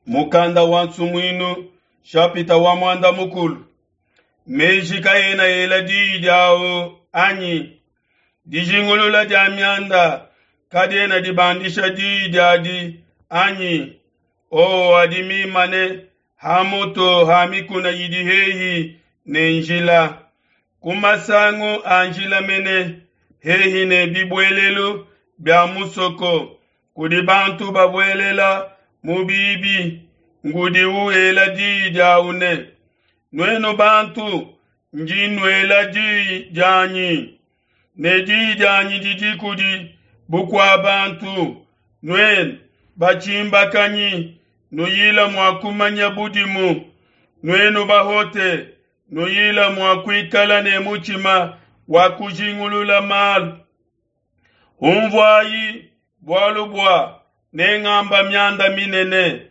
Mukanda wa Nsumuinu, shapita wa muanda mukulu. Meji kaena ela diyi diawu anyi? Dijingulula dia mianda kadiena dibandisha diyi diadi anyi? Owo adi mimane ha mutu ha mikuna idi hehi ne njila, ku masangu a njila mene, hehi ne bibuelelu bia musoko, kudi bantu babuelela mu bibi, ngudi wela diyi diawu ne, Nuenu bantu, ndi nnuela diyi dianyi, ne diyi dianyi didi kudi bukua bantu. Nuenu batshimbakanyi, nuyila mua kumanya budimu. Nuenu bahote, nuyila mua kuikala ne mutshima wa kujingulula malu. Unvuayi, bualu bua nengamba mianda minene,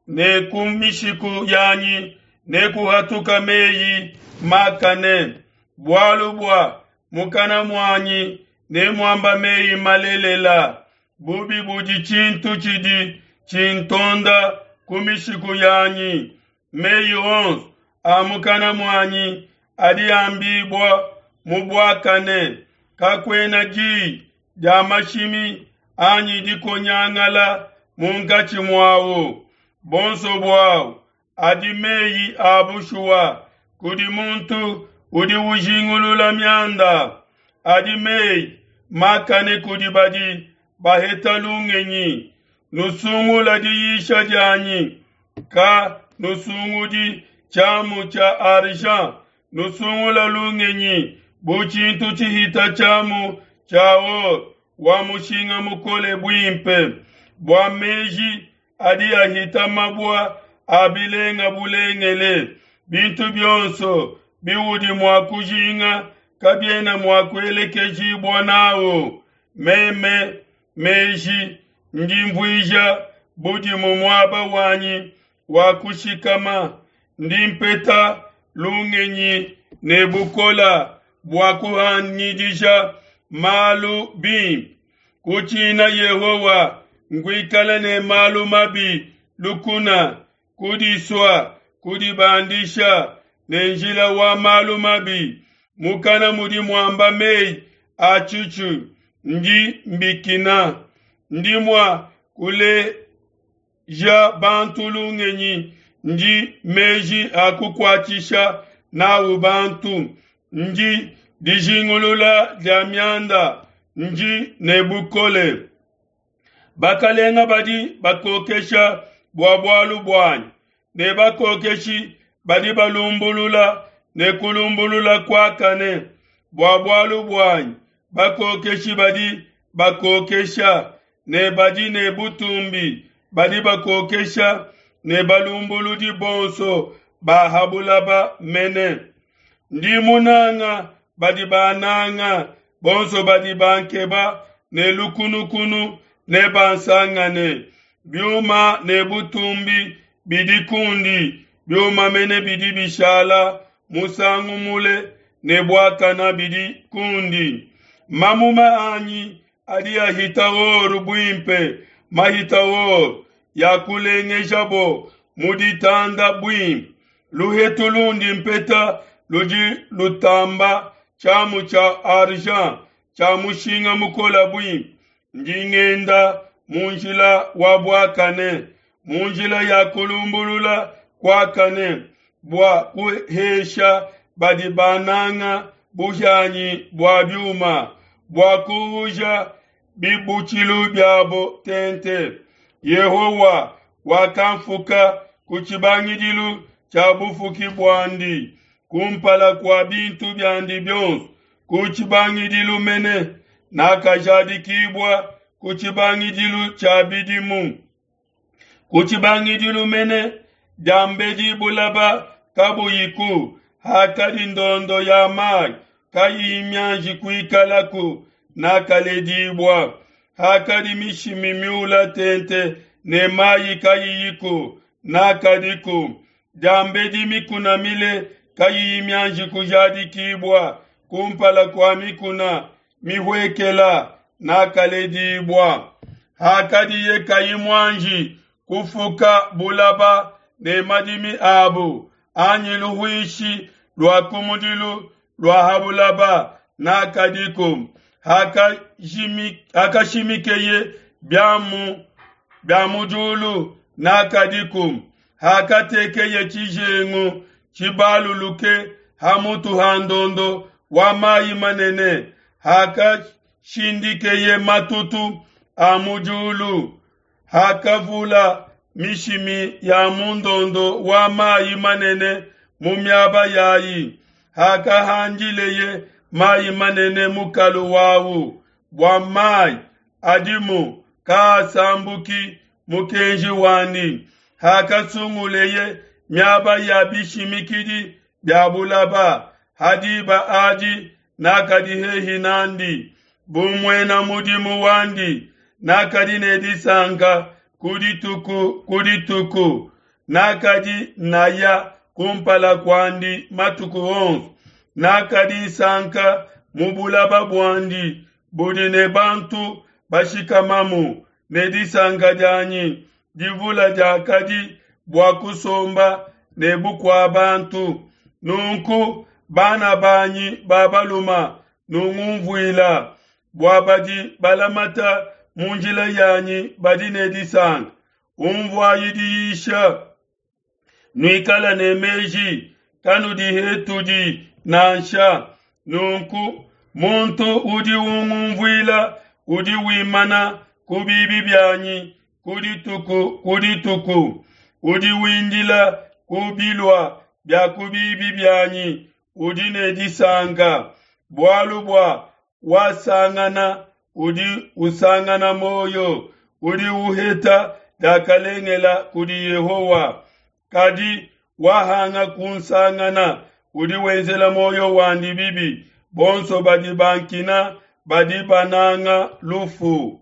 ne ku mishiku yanyi nekuhatuka meyi makane. Bualu bua mukana muanyi nemuamba meyi malelela, bubi budi tshintu tshidi tshintonda ku mishiku yanyi. Meyi onso a mukana muanyi adi ambibua mu buakane, kakuena diyi dia mashimi anyi dikonyangala munkatshi muawu. Bonso buawu adi meyi a bushuwa kudi muntu udi ujingulula mianda, adi meyi makane kudi badi baheta lungenyi. Nusungula diyisha dianyi, ka nusungudi tshiamu tshia argent, nusungula lungenyi bu tshintu tshihita tshiamu tshia or wa mushinga mukole buimpe, bua meji adi ahita mabua a bilenga bulengele. Bintu bionso biudi mua kujinga kabiena mua kuelekejibua nawu. Meme, meji, ndi mvuija budimu muaba wanyi wa kushikama, ndi mpeta lungenyi ne bukola bua kuhangidisha malu bimpe. Kutshina Yehowa nkuikala ne malu mabi lukuna, kudisua, kudibandisha ne njila wa malu mabi. Mukana mudi muamba meyi a tshitshu, ndi mbikina. Ndi mua kuleja bantu lungenyi, ndi meji a kukuatshisha nawu bantu, ndi dijingulula dia mianda, ndi ne bukole. Bakalenga badi bakokesha bua bualu buanyi, ne bakokeshi badi balumbulula ne kulumbulula kuakane bua bualu buanyi. Bakokeshi badi bakokesha ne badi ne butumbi badi bakokesha ne balumbuludi bonso ba ha bulaba mene. Ndi munanga badi bananga, bonso badi bankeba ne lukunukunu nebansangane. Biuma ne butumbi bidi kundi, biuma mene bidi bishala musangu mule ne buakana bidi kundi. Mamuma anyi adi ahita or buimpe, mahita or yakulengejabo mu ditanda buimpe. Luhetu lundi mpeta ludi lutamba tshiamu tshia argent tshia mushinga mukole buimpe. Ndi ngenda mu njila wa buakane, mu njila ya kulumbulula kuakane, bua kuhesha badi bananga buhianyi bua biuma, bua kuuja bibutshilu biabo tente. Yehowa wakamfuka ku tshibangidilu tshia bufuki buandi, kumpala kua bintu biandi bionso, ku tshibangidilu mene nakajadikibua ku tshibangidilu tshia bidimu. Ku tshibangidilu mene diambedi bulaba kabuyiku, hakadi ndondo ya mayi kayiyi mianji kuikalaku, nakaledibua. Hakadi mishimi miula tente ne mayi kayiyiku, nakadiku. Diambedi mikuna mile kayiyi mianji kujadikibua, kumpala kua mikuna mihuekela nakaledibua. Hakadiye kayi muanji kufuka bulaba ne madimi abu, anyi luhuishi lua kumudilu lua ha bulaba, nakadiku. Hakashimikeye biamu bia mu diulu, nakadiku. Hakatekeye tshijengu tshibaluluke ha mutu ha ndondo wa mai manene, hakashindikeye matutu a mu diulu, hakavula mishimi ya mu ndondo wa mai manene mu miaba yayi, hakahandileye mai manene mukalu wawu, bua mai adimu kaasambuki mukenji wandi, hakasunguleye miaba ya bishimikidi bia bulaba, ha diba adi nakadi hehi n'andi bu muena mudimu wandi, nakadi ne disanka ku dituku ku dituku, nakadi naya kumpala kuandi matuku onso, nakadi nsanka mu bulaba buandi budi ne bantu bashikamamu, ne disanka dianyi divula diakadi bua kusomba ne bukua bantu. Nunku, bana banyi ba baluma, nungumvuila, bua badi balamata mu njila yanyi badi ne disanka. Unvuayi diyisha, nuikala ne meji, kanudihetudi nansha. Nunku muntu udi ungumvuila udi wimana ku bibi bianyi ku dituku ku dituku, udi windila ku bilua bia ku bibi bianyi, udi ne disanka, bualu bua wasangana udi usangana muoyo, udi uheta diakalengela kudi Yehowa. Kadi wahanga kunsangana udi wenzela muoyo wandi bibi, bonso badi bankina badi bananga lufu.